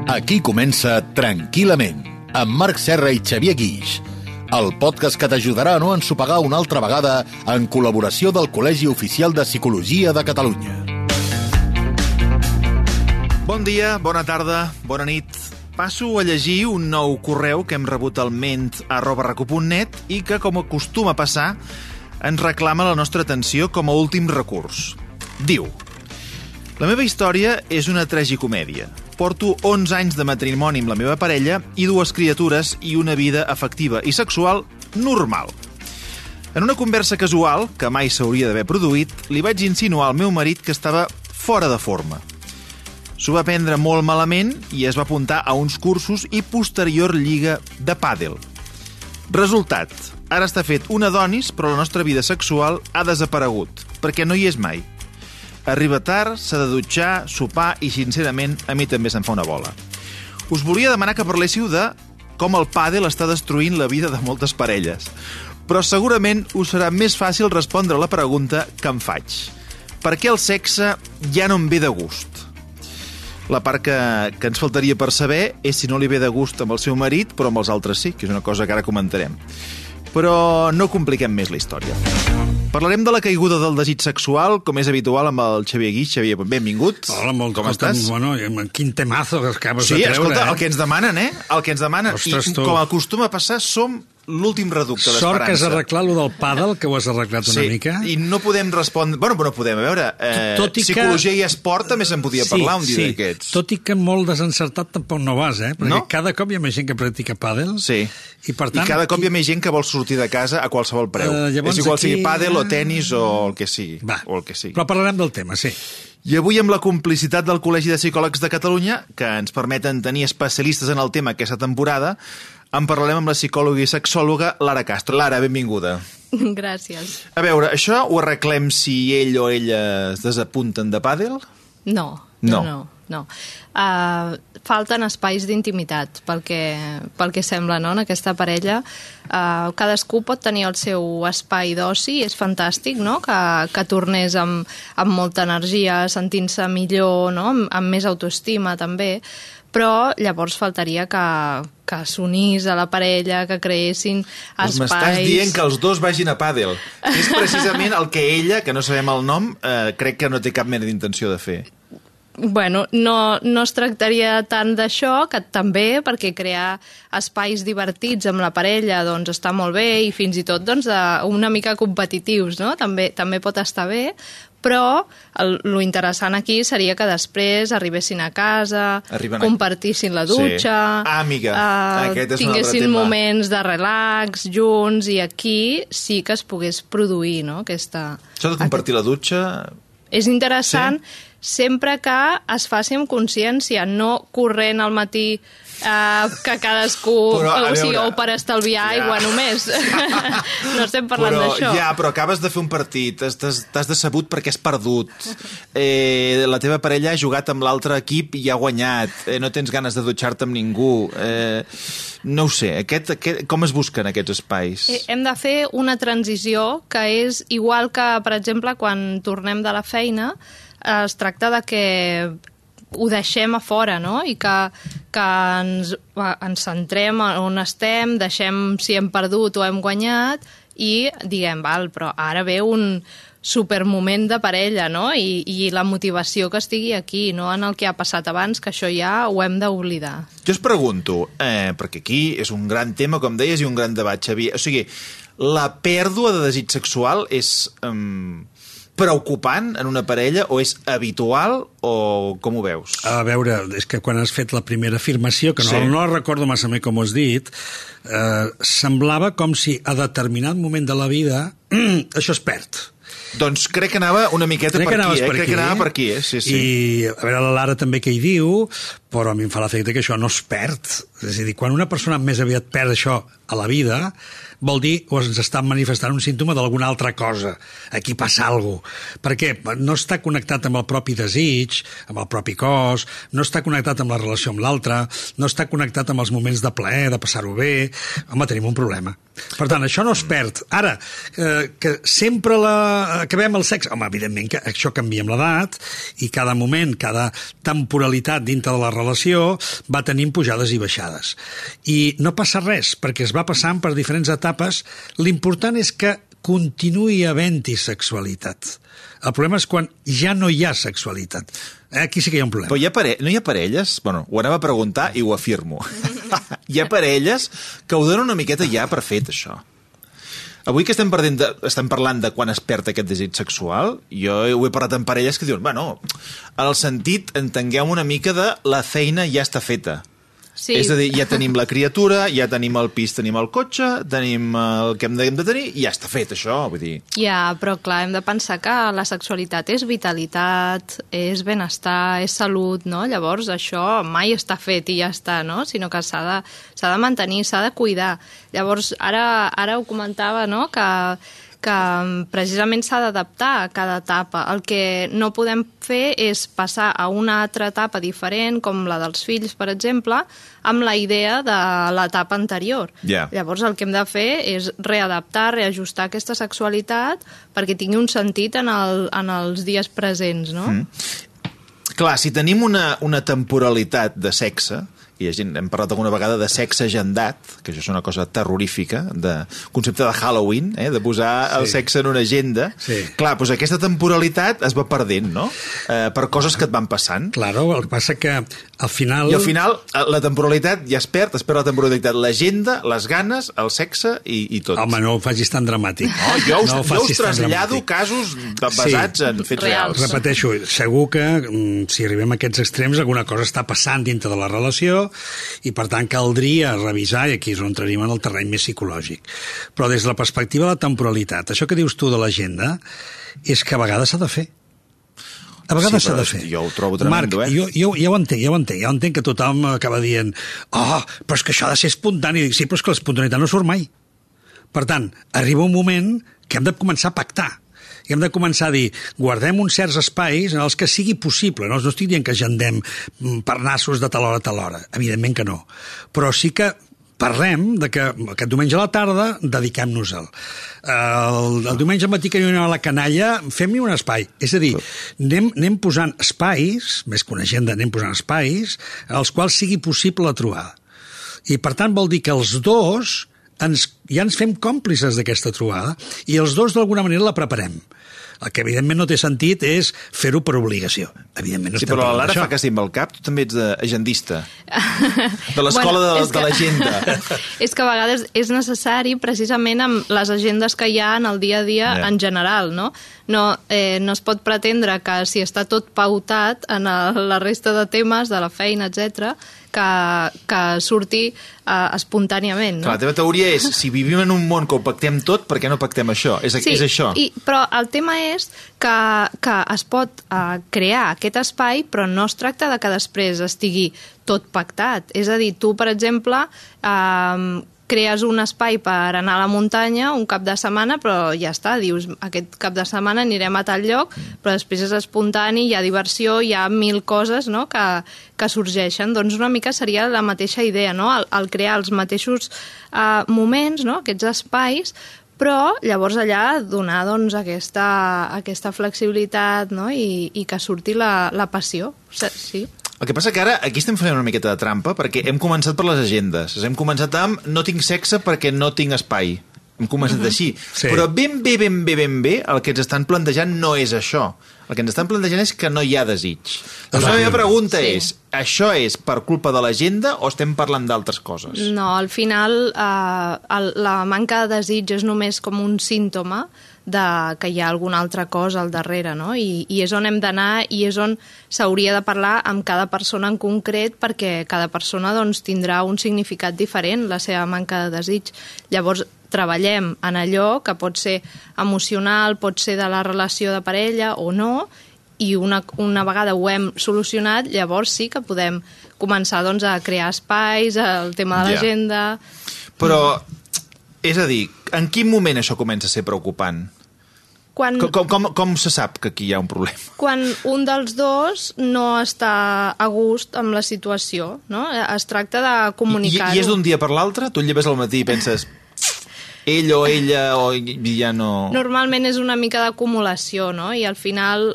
Aquí comença Tranquil·lament, amb Marc Serra i Xavier Guix, el podcast que t'ajudarà a no ensopegar una altra vegada en col·laboració del Col·legi Oficial de Psicologia de Catalunya. Bon dia, bona tarda, bona nit. Passo a llegir un nou correu que hem rebut al ment@recu.net i que, com acostuma a passar, ens reclama la nostra atenció com a últim recurs. Diu: la meva història és una tragicomèdia. Porto 11 anys de matrimoni amb la meva parella i 2 criatures i una vida afectiva i sexual normal. En una conversa casual, que mai s'hauria d'haver produït, li vaig insinuar al meu marit que estava fora de forma. S'ho va prendre molt malament i es va apuntar a uns cursos i posterior lliga de pàdel. Resultat: ara està fet un Adonis, però la nostra vida sexual ha desaparegut, perquè no hi és mai. Arriba tard, s'ha de dutxar, sopar i, sincerament, a mi també se'n fa una bola. Us volia demanar que parléssiu de com el pàdel està destruint la vida de moltes parelles. Però segurament us serà més fàcil respondre a la pregunta que em faig. Per què el sexe ja no em ve de gust? La part que ens faltaria per saber és si no li ve de gust amb el seu marit, però amb els altres sí, que és una cosa que ara comentarem. Però no compliquem més la història. Parlarem de la caiguda del desig sexual, com és habitual amb el Xavier Guix. Xavier, benvingut. Hola, molt com estàs? Bueno, quin temazo que acabes de treure. Sí, escolta, el que ens demanen, El que ens demanen. Ostres, I com acostuma a passar, som l'últim reducte d'esperança. Sort que has arreglat lo del pàdel, que ho has arreglat una mica. Sí, i no podem respondre... Bueno, no podem, a veure, psicologia i esport també se'n podia parlar un dia d'aquests. Tot i que molt desencertat tampoc no vas, Perquè cada cop hi ha més gent que practica pàdel. Sí, i per tant, cada cop hi ha més gent que vol sortir de casa a qualsevol preu. És igual sigui pàdel o tenis o el que sigui. Però parlarem del tema, sí. I avui, amb la complicitat del Col·legi de Psicòlegs de Catalunya, que ens permeten tenir especialistes en el tema aquesta temporada, en parlarem amb la psicòloga i sexòloga Lara Castro. Lara, benvinguda. Gràcies. A veure, això ho arreglem si ell o ella es desapunten de pàdel? No. Falten espais d'intimitat, pel que sembla, no?, en aquesta parella. Cadascú pot tenir el seu espai d'oci, és fantàstic, no?, que tornés amb molta energia, sentint-se millor, no?, amb més autoestima, també. Però llavors faltaria que s'unís a la parella, que creessin espais... M'estàs dient que els dos vagin a pàdel. És precisament el que ella, que no sabem el nom, crec que no té cap mena d'intenció de fer. Bueno, no es tractaria tant d'això, que també, perquè crear espais divertits amb la parella doncs està molt bé, i fins i tot doncs, una mica competitius, no? També pot estar bé, però lo interessant aquí seria que després arribessin a casa, compartissin la dutxa, tinguessin moments de relax junts, i aquí sí que es pogués produir, no?, aquesta... Això de compartir la dutxa... És interessant, sempre que es faci amb consciència, no corrent al matí que cadascú... o per estalviar aigua només. No estem parlant d'això. Però acabes de fer un partit, t'has decebut perquè has perdut, la teva parella ha jugat amb l'altre equip i ha guanyat, no tens ganes de dutxar-te amb ningú... No ho sé, com es busquen aquests espais? Hem de fer una transició que és igual que, per exemple, quan tornem de la feina, es tracta de que ho deixem a fora, no?, i que ens centrem on estem, deixem si hem perdut o hem guanyat, i diguem, però ara ve un supermoment de parella, no?, i la motivació que estigui aquí, no en el que ha passat abans, que això ja ho hem d'oblidar. Jo es pregunto, perquè aquí és un gran tema, com deies, i un gran debat, Xavier. O sigui, la pèrdua de desig sexual és preocupant en una parella, o és habitual, o com ho veus? A veure, és que quan has fet la primera afirmació, que no recordo massa bé com ho has dit, semblava com si a determinat moment de la vida això es perd. Doncs crec que anava una miqueta per aquí, crec que anava per aquí, sí. I a veure, la Lara també què hi diu, però a mi em fa l'efecte que això no es perd. És a dir, quan una persona més aviat perd això a la vida, vol dir o ens està manifestant un símptoma d'alguna altra cosa. Aquí passa alguna cosa. Perquè no està connectat amb el propi desig, amb el propi cos, no està connectat amb la relació amb l'altre, no està connectat amb els moments de plaer, de passar-ho bé. Home, tenim un problema. Per tant, això no es perd. Ara, que sempre acabem el sexe... Home, evidentment que això canvia amb l'edat i cada moment, cada temporalitat dintre de la relació va tenint pujades i baixades. I no passa res, perquè es va passant per diferents etapes. L'important és que continuï havent-hi sexualitat. El problema és quan ja no hi ha sexualitat. Aquí sí que hi ha un problema. Però no hi ha parelles? Bueno, ho anava a preguntar i ho afirmo. Hi ha parelles que ho donen una miqueta ja per fet, això. Avui que estem parlant de quan es perd aquest desig sexual, jo ho he parlat amb parelles que diuen, bueno, en el sentit, entenguem una mica de la feina ja està feta. Sí. És a dir, ja tenim la criatura, ja tenim el pis, tenim el cotxe, tenim el que hem de tenir, i ja està fet, això, vull dir... Ja, però clar, hem de pensar que la sexualitat és vitalitat, és benestar, és salut, no? Llavors, això mai està fet i ja està, no? Sinó que s'ha de mantenir, s'ha de cuidar. Llavors, ara ho comentava, no?, que precisament s'ha d'adaptar a cada etapa. El que no podem fer és passar a una altra etapa diferent, com la dels fills, per exemple, amb la idea de l'etapa anterior. Yeah. Llavors el que hem de fer és readaptar, reajustar aquesta sexualitat perquè tingui un sentit en els dies presents, no? Clar, si tenim una temporalitat de sexe, i hem parlat alguna vegada de sexe agendat, que això és una cosa terrorífica, de concepte de Halloween, de posar el sexe en una agenda. Sí. Clar, doncs aquesta temporalitat es va perdent, no? Per coses que et van passant. Claro, el que passa que al final... I al final la temporalitat ja es perd la temporalitat, l'agenda, les ganes, el sexe i tot. Home, no ho facis tan dramàtic. No, jo us trasllado casos basats en fets reals. Repeteixo, segur que si arribem a aquests extrems alguna cosa està passant dintre de la relació i per tant caldria revisar, i aquí és on entraríem en el terreny més psicològic. Però des de la perspectiva de la temporalitat, això que dius tu de l'agenda és que a vegades s'ha de fer. A vegades s'ha de fer. Jo ho trobo tremendo, Marc, jo ja ho entenc que tothom acaba dient però és que això ha de ser espontani. Dic, sí, però és que l'espontaneïtat no surt mai. Per tant, arriba un moment que hem de començar a pactar. I hem de començar a dir, guardem uns certs espais en els que sigui possible. No estic dient que agendem per nassos de tal hora a tal hora. Evidentment que no. Però sí que parlem de que aquest diumenge a la tarda dediquem-nos-el. El diumenge al matí que anem a la canalla, fem-hi un espai. És a dir, anem posant espais, més que una agenda, anem posant espais en els quals sigui possible la trobada. I per tant vol dir que els dos ja ens fem còmplices d'aquesta trobada i els dos d'alguna manera la preparem. El que evidentment no té sentit és fer-ho per obligació. Evidentment no sí, però l'Ara fa que sí amb el cap, tu també ets agendista. De l'escola de l'agenda. És que a vegades és necessari precisament amb les agendes que hi ha en el dia a dia en general, no? No es pot pretendre que si està tot pautat en la resta de temes de la feina, etc., que surti espontàniament, no? Clar, la teva teoria és, si vivim en un món que ho pactem tot, per què no pactem això? És això. Però el tema és que es pot crear aquest espai, però no es tracta de que després estigui tot pactat. És a dir, tu, per exemple, crees un espai per anar a la muntanya un cap de setmana, però ja està, dius, aquest cap de setmana anirem a tal lloc, però després és espontani, hi ha diversió, hi ha 1000 coses, no?, que sorgeixen. Doncs una mica seria la mateixa idea, no?, el crear els mateixos moments, no?, aquests espais, però llavors allà donar doncs, aquesta flexibilitat, no?, i que surti la passió. Sí. El que passa que ara aquí estem fent una miqueta de trampa perquè hem començat per les agendes. Hem començat amb no tinc sexe perquè no tinc espai. Hem començat així. Sí. Però ben bé el que ens estan plantejant no és això. El que ens estan plantejant és que no hi ha desig. Doncs la meva pregunta és, això és per culpa de l'agenda o estem parlant d'altres coses? No, al final la manca de desig és només com un símptoma que hi ha alguna altra cosa al darrere, no? I és on hem d'anar i és on s'hauria de parlar amb cada persona en concret perquè cada persona doncs, tindrà un significat diferent, la seva manca de desig. Llavors, treballem en allò que pot ser emocional, pot ser de la relació de parella o no, i una vegada ho hem solucionat, llavors sí que podem començar doncs, a crear espais, el tema de l'agenda... Però, és a dir, en quin moment això comença a ser preocupant? Com se sap que aquí hi ha un problema? Quan un dels dos no està a gust amb la situació, no? Es tracta de comunicar-ho. I és d'un dia per l'altre? Tu et lleves al matí i penses ell o ella o ja no... Normalment és una mica d'acumulació, no? I al final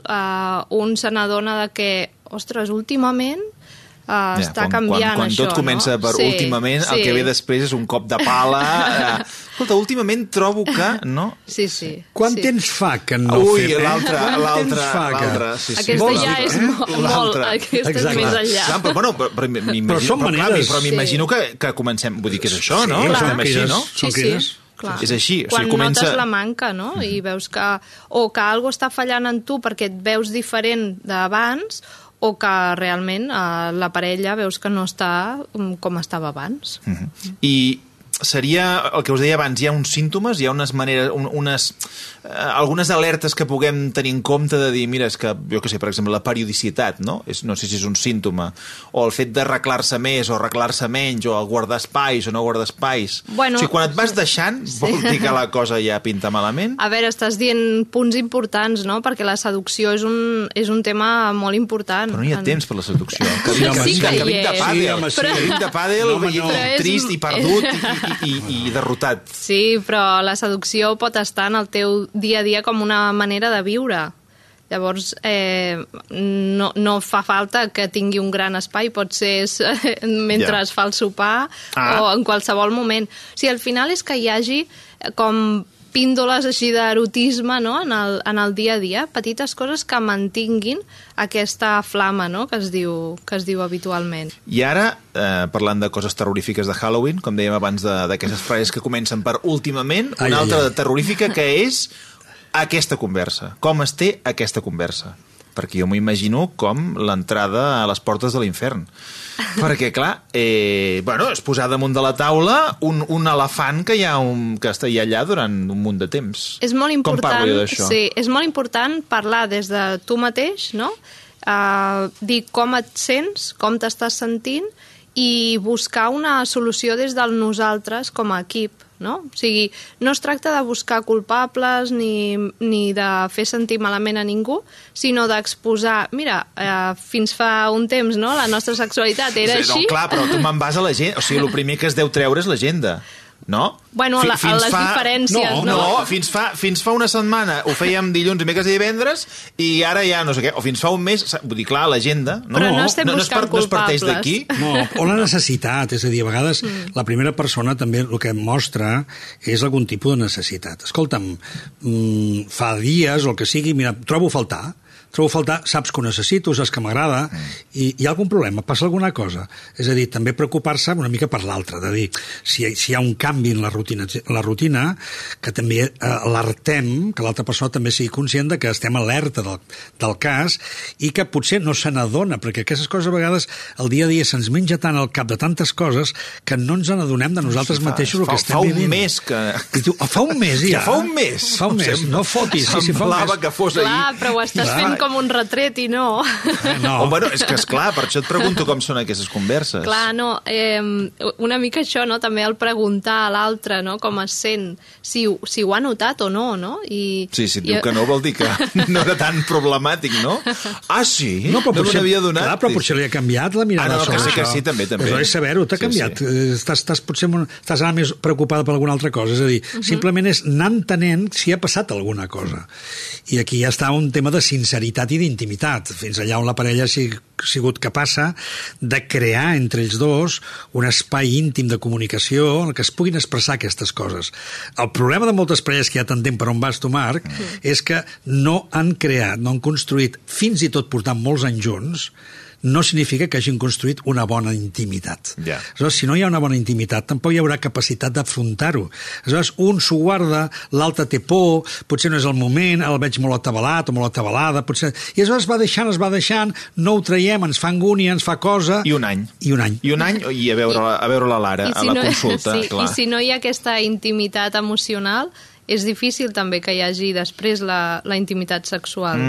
un se n'adona de que, ostres, últimament està canviant quan això. Tot comença per últimament, el que ve després és un cop de pala. Escolta, últimament trobo que... no? Sí. Quant temps fa que no Ui, fem? l'altre. Aquesta ja és molt... Aquesta és més enllà. Clar, però són maneres. Però m'imagino que comencem... Vull dir que és això, no? Sí, Estem així, no? Són crides. Clar. És així. Quan notes la manca, no? I veus que... O que alguna està fallant en tu perquè et veus diferent d'abans, o que realment la parella veus que no està com estava abans. I seria, el que us deia abans, hi ha uns símptomes, hi ha unes maneres, algunes alertes que puguem tenir en compte de dir, mira, és que, jo què sé, per exemple, la periodicitat, no? No sé si és un símptoma, o el fet d'arreglar-se més o arreglar-se menys, o el guardar espais o no guardar espais. Bueno, o sigui, quan et vas deixant, vol dir que la cosa ja pinta malament? A veure, estàs dient punts importants, no? Perquè la seducció és un tema molt important. Però no hi ha temps per la seducció. Que Sí que hi vinc de és. pàdel, Sí, que vinc de pàdel, no. trist i perdut i derrotat. Sí, però la seducció pot estar en el teu dia a dia com una manera de viure. Llavors, no fa falta que tingui un gran espai, pot ser mentre es fa el sopar o en qualsevol moment. O sigui, al final és que hi hagi com píndoles així d'erotisme, no? en el dia a dia, petites coses que mantinguin aquesta flama, no? que es diu habitualment. I ara, parlant de coses terrorífiques de Halloween, com dèiem abans d'aquestes frases que comencen per últimament, una altra terrorífica que és aquesta conversa. Com es té aquesta conversa? Perquè jo m'ho imagino com l'entrada a les portes de l'infern. Perquè, clar, és posar damunt de la taula un elefant que està allà durant un munt de temps. És molt important, com parlo jo d'això? Sí, és molt important parlar des de tu mateix, no? Dir com et sents, com t'estàs sentint i buscar una solució des del nosaltres com a equip, no? O sigui, no es tracta de buscar culpables ni de fer sentir malament a ningú, sinó d'exposar, mira, fins fa un temps, no?, la nostra sexualitat era així. No, clar, però tu me'n vas a l'agenda. O sigui, el primer que es deu treure és l'agenda. No? Bueno, a les diferències, no? No, fins fa una setmana ho fèiem dilluns, dimecres i divendres i ara ja no sé què, o fins fa un mes, vull dir, clar, l'agenda... Però no estem buscant culpables. No es parteix d'aquí? No, o la necessitat, és a dir, a vegades la primera persona també el que mostra és algun tipus de necessitat. Escolta'm, fa dies o el que sigui, mira, trobo a faltar, saps que ho necessito, saps que m'agrada, i hi ha algun problema, passa alguna cosa. És a dir, també preocupar-se una mica per l'altre, de dir, si hi ha un canvi en la rutina, que també alertem, que l'altra persona també sigui conscient de que estem alerta del cas i que potser no se n'adona, perquè aquestes coses a vegades el dia a dia se'ns menja tant al cap de tantes coses que no ens n'adonem de nosaltres mateixos el que estem vivint. Fa un mes que... Fa un mes, ja. Fa un mes. Fa un mes, no fotis. Semblava que fos ahir. Clar, però ho estàs fent com un retret i no. No. Bueno, és que esclar, per això et pregunto com són aquestes converses. Clar, no, una mica això, no? També el preguntar a l'altre, no?, com es sent, si ho ha notat o no, no? Sí, si et diu que no vol dir que no era tan problemàtic, no? Ah, sí? No me n'havia donat. Clar, però potser li ha canviat la mirada sobre això. Que sí, també. Però és saber-ho, t'ha canviat. Estàs ara més preocupada per alguna altra cosa, és a dir, simplement és anar entenent si ha passat alguna cosa. I aquí ja està un tema de sinceritat i d'intimitat, fins allà on la parella ha sigut capaça de crear entre ells dos un espai íntim de comunicació en què es puguin expressar aquestes coses. El problema de moltes parelles que ja t'entenc per on vas tu, Marc, és que no han creat, no han construït, fins i tot portant molts anys junts, no significa que hagin construït una bona intimitat. Yeah. Aleshores, si no hi ha una bona intimitat, tampoc hi haurà capacitat d'afrontar-ho. Aleshores, un s'ho guarda, l'altre té por, potser no és el moment, el veig molt atabalat o molt atabalada, potser... I aleshores es va deixant, no ho traiem, ens fa angúnia, ens fa cosa... I un any. I a veure la Lara, a la consulta. Sí, clar. I si no hi ha aquesta intimitat emocional, és difícil també que hi hagi després la intimitat sexual.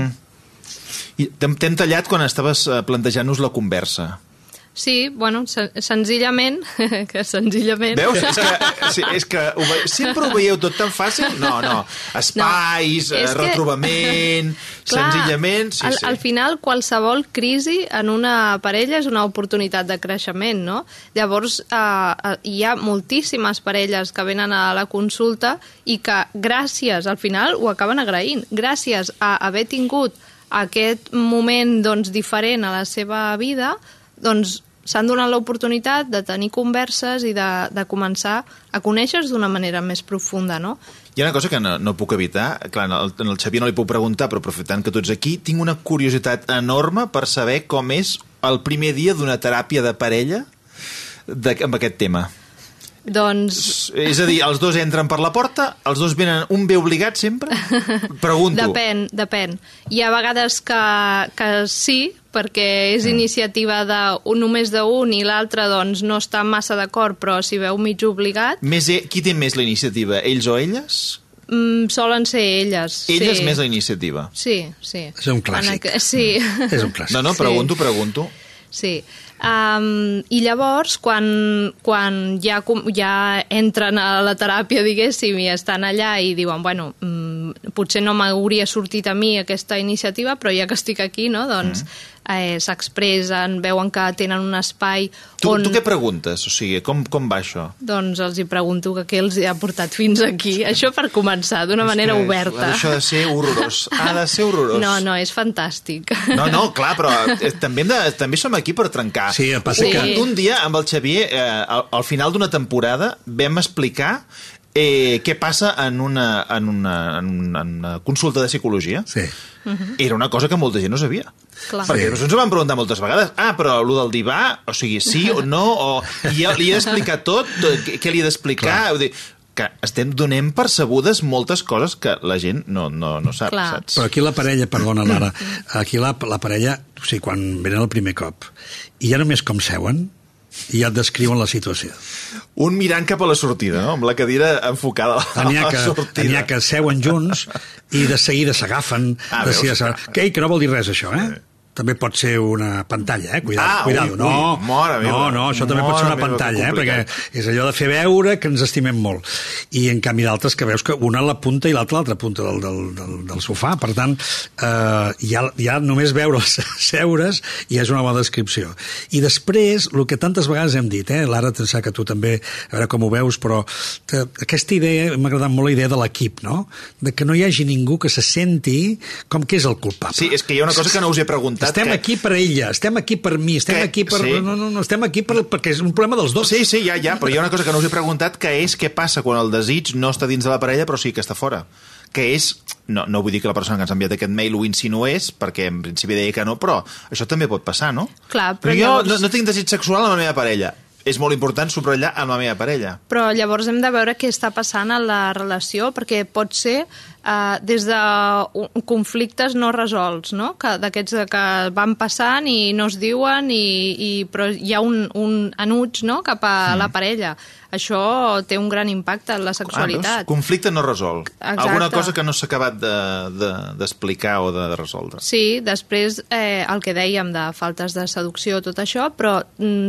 I t'hem tallat quan estaves plantejant-nos la conversa. Sí, bueno, senzillament... Veus? És que sempre ho veieu tot tan fàcil? No. Espais, retrobament, senzillament... Sí. Al final, qualsevol crisi en una parella és una oportunitat de creixement, no? Llavors, hi ha moltíssimes parelles que venen a la consulta i que gràcies, al final, ho acaben agraint. Gràcies a haver tingut aquest moment, doncs, diferent a la seva vida, doncs s'han donat l'oportunitat de tenir converses i de començar a conèixer-se d'una manera més profunda, no? Hi ha una cosa que no puc evitar. Clar, en el Xavier no li puc preguntar, però aprofitant que tots aquí, tinc una curiositat enorme per saber com és el primer dia d'una teràpia de parella amb aquest tema. Doncs... És a dir, els dos entren per la porta, els dos venen, un ve obligat sempre? Pregunto. Depèn. Hi ha vegades que sí, perquè és iniciativa només d'un i l'altre doncs, no està massa d'acord, però s'hi veu mig obligat. Qui té més la iniciativa, ells o elles? Solen ser elles. Elles sí. Més la iniciativa? Sí. És un clàssic. Sí. És un clàssic. No, pregunto. Sí. I llavors, quan ja entren a la teràpia, diguéssim, i estan allà i diuen, bueno, potser no m'hauria sortit a mi aquesta iniciativa, però ja que estic aquí, no, doncs s'expressen, veuen que tenen un espai on... Tu què preguntes? O sigui, com va això? Doncs els hi pregunto que què els ha portat fins aquí. Això per començar, d'una manera oberta. Això ha de ser horrorós. Ha de ser horrorós. No, és fantàstic. No, clar, però també som aquí per trencar. Sí, passa que... Un dia, amb el Xavier, al final d'una temporada, vam explicar què passa en una consulta de psicologia. Sí. Era una cosa que molta gent no sabia. Clar. Perquè ens ho van preguntar moltes vegades. Però allò del divà, o sigui, sí o no, i li he d'explicar tot, què li he d'explicar? Vull dir, que donem percebudes moltes coses que la gent no sap, saps? Però aquí la parella, perdona, Lara, aquí la parella, o sigui, quan venen el primer cop, i ja només com seuen, i ja et descriuen la situació. Un mirant cap a la sortida, no? Amb la cadira enfocada a la sortida. N'hi ha que seuen junts i de seguida s'agafen. Que no vol dir res, això, També pot ser una pantalla, cuidado. No, això també pot ser una pantalla, perquè és allò de fer veure que ens estimem molt. I en canvi d'altres que veus que una a la punta i l'altra a l'altra punta del sofà. Per tant, ja només veure'ls seure's ja és una bona descripció. I després, el que tantes vegades hem dit, Lara, que tu també, a veure com ho veus, però aquesta idea, m'ha agradat molt la idea de l'equip, no? De que no hi hagi ningú que se senti com que és el culpable. Sí, és que hi ha una cosa que no us he preguntat. Estem aquí per ella, estem aquí per mi, estem aquí per... Sí. No, estem aquí perquè és un problema dels dos. Sí, ja, però hi ha una cosa que no us he preguntat, que és què passa quan el desig no està dins de la parella, però sí que està fora. Que és... No vull dir que la persona que ens ha enviat aquest mail ho insinués, perquè en principi deia que no, però això també pot passar, no? Clar, però jo no tinc desig sexual amb la meva parella. És molt important subratllar amb la meva parella. Però llavors hem de veure què està passant a la relació, perquè pot ser des de conflictes no resolts, no? D'aquests que van passant i no es diuen, però hi ha un enuig, no?, cap a la parella. Això té un gran impacte en la sexualitat. Conflicte no resolt. Exacte. Alguna cosa que no s'ha acabat d'explicar o de resoldre. Sí, després el que dèiem de faltes de seducció, tot això, però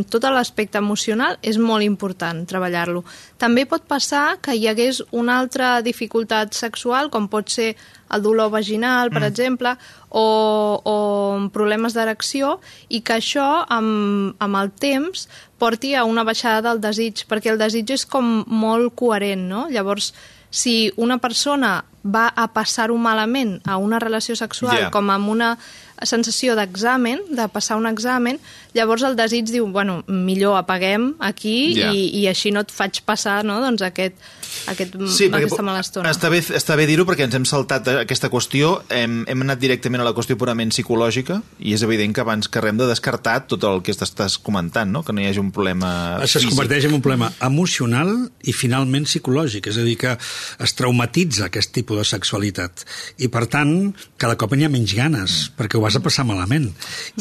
tot l'aspecte emocional és molt important treballar-lo. També pot passar que hi hagués una altra dificultat sexual, com pot ser el dolor vaginal, per exemple, o problemes d'erecció, i que això, amb el temps, porti a una baixada del desig, perquè el desig és com molt coherent, no? Llavors, si una persona va a passar-ho malament a una relació sexual, com amb una sensació d'examen, de passar un examen, llavors el desig diu, bueno, millor apaguem aquí i així no et faig passar, no?, doncs aquesta mala estona. Està bé dir-ho perquè ens hem saltat aquesta qüestió, hem anat directament a la qüestió purament psicològica i és evident que abans que res de descartar tot el que estàs comentant, no?, que no hi hagi un problema físic. Es converteix en un problema emocional i finalment psicològic, és a dir, que es traumatitza aquest tipus de sexualitat i per tant cada cop n'hi ha menys ganes perquè ho vas a passar malament.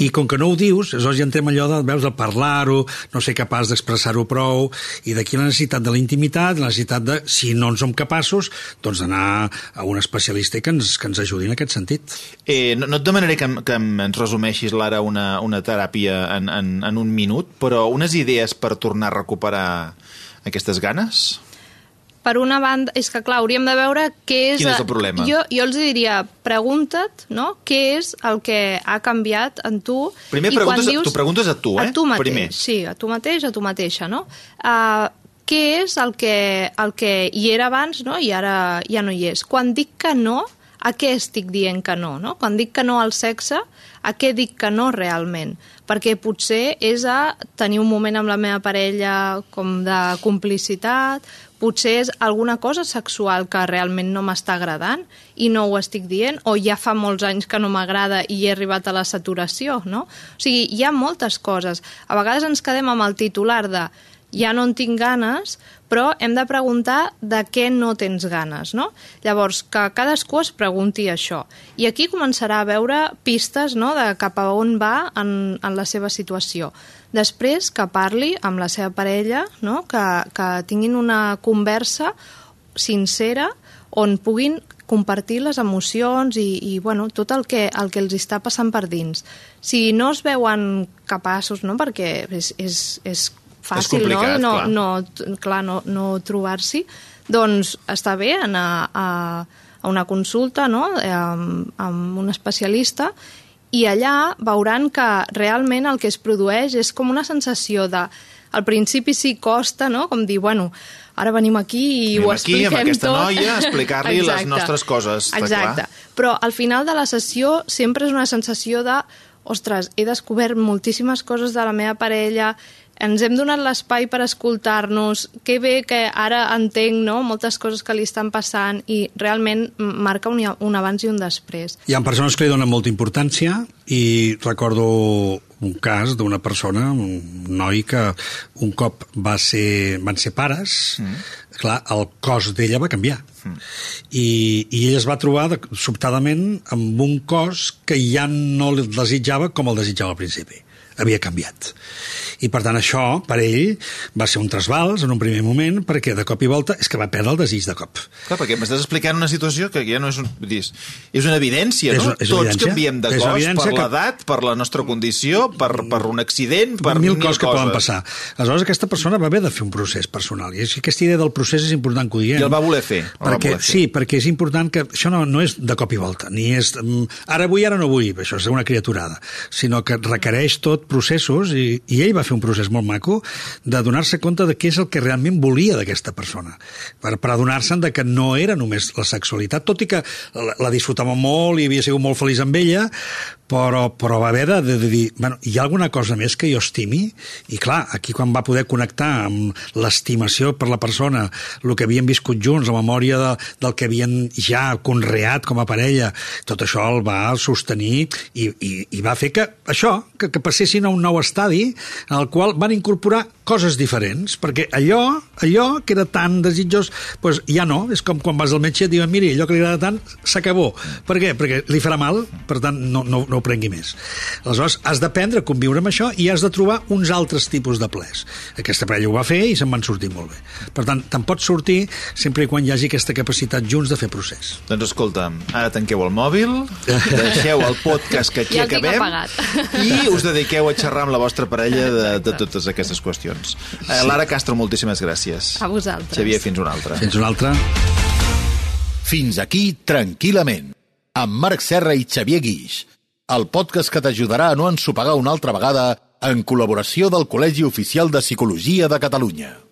I com que no ho dius, aleshores ja entrem allò de, veus, de parlar-ho, no ser capaç d'expressar-ho prou, i d'aquí la necessitat de la intimitat, la necessitat de, si no en som capaços, doncs d'anar a un especialista i que ens ajudi en aquest sentit. No et demanaré que ens resumeixis, Lara, una teràpia en un minut, però unes idees per tornar a recuperar aquestes ganes? Per una banda, és que clar, hauríem de veure què és... Quin és el problema? Jo els diria, pregunta't, no?, què és el que ha canviat en tu. Primer t'ho preguntes a tu, A tu mateix, primer. Sí, a tu mateix, a tu mateixa, no? Què és el que hi era abans, no?, i ara ja no hi és. Quan dic que no, a què estic dient que no, no? Quan dic que no al sexe, a què dic que no realment? Perquè potser és a tenir un moment amb la meva parella com de complicitat, potser és alguna cosa sexual que realment no m'està agradant i no ho estic dient, o ja fa molts anys que no m'agrada i he arribat a la saturació, no? O sigui, hi ha moltes coses. A vegades ens quedem amb el titular de ja no en tinc ganes, però hem de preguntar de què no tens ganes, no? Llavors, que cadascú es pregunti això. I aquí començarà a veure pistes, no?, de cap a on va en la seva situació. Després, que parli amb la seva parella, no?, que tinguin una conversa sincera on puguin compartir les emocions i bueno, tot el que els està passant per dins. Si no es veuen capaços, no?, perquè és fàcil, no trobar-s'hi, doncs està bé anar a una consulta, no?, amb un especialista, i allà veuran que realment el que es produeix és com una sensació de... Al principi sí costa, no?, com dir, bueno, ara venim aquí i ho expliquem tot. Amb aquesta noia a explicar-li les nostres coses. Exacte. Però al final de la sessió sempre és una sensació de ostres, he descobert moltíssimes coses de la meva parella, ens hem donat l'espai per escoltar-nos, que bé que ara entenc, no?, moltes coses que li estan passant i realment marca un abans i un després. Hi ha persones que li donen molta importància i recordo un cas d'una persona, un noi que un cop van ser pares, clar, el cos d'ella va canviar. I ella es va trobar sobtadament amb un cos que ja no el desitjava com el desitjava al principi. Havia canviat. I per tant això, per ell, va ser un trasbals en un primer moment, perquè de cop i volta és que va perdre el desig de cop. Clar, perquè m'estàs explicant una situació que ja no és és una evidència, no? Tots canviem de cos per l'edat, per la nostra condició, per un accident, per mil coses que poden passar. Aleshores aquesta persona va haver de fer un procés personal, i aquesta idea del procés és important que ho diguem. I el va voler fer. Sí, perquè és important que això no és de cop i volta, ni és ara vull, ara no vull, això és una criaturada, sinó que requereix tot processos, i ell va fer un procés molt maco de donar-se compte de què és el que realment volia d'aquesta persona, per adonar-se'n de que no era només la sexualitat, tot i que la disfrutava molt i havia sigut molt feliç amb ella, però va haver de dir, bueno, hi ha alguna cosa més que jo estimi? I clar, aquí quan va poder connectar amb l'estimació per la persona, el que havien viscut junts, la memòria del que havien ja conreat com a parella, tot això el va sostenir i va fer que això, que passessin a un nou estadi en el qual van incorporar coses diferents, perquè allò que era tan desitjós, doncs ja no, és com quan vas al metge i et diuen, miri, allò que li agrada tant s'acabó. Per què? Perquè li farà mal, per tant no ho prengui més. Aleshores, has d'aprendre a conviure amb això i has de trobar uns altres tipus de plers. Aquesta parella ho va fer i se'n van sortir molt bé. Per tant, te'n pots sortir sempre i quan hi hagi aquesta capacitat junts de fer procés. Doncs escolta'm, ara tanqueu el mòbil, deixeu el podcast que aquí acabem i us dediqueu a xerrar amb la vostra parella de totes aquestes qüestions. Lara Castro, moltíssimes gràcies. A vosaltres. Xavier, fins una altra. Fins una altra. Fins aquí, tranquil·lament, amb Marc Serra i Xavier Guix, el podcast que t'ajudarà a no ensopegar una altra vegada en col·laboració del Col·legi Oficial de Psicologia de Catalunya.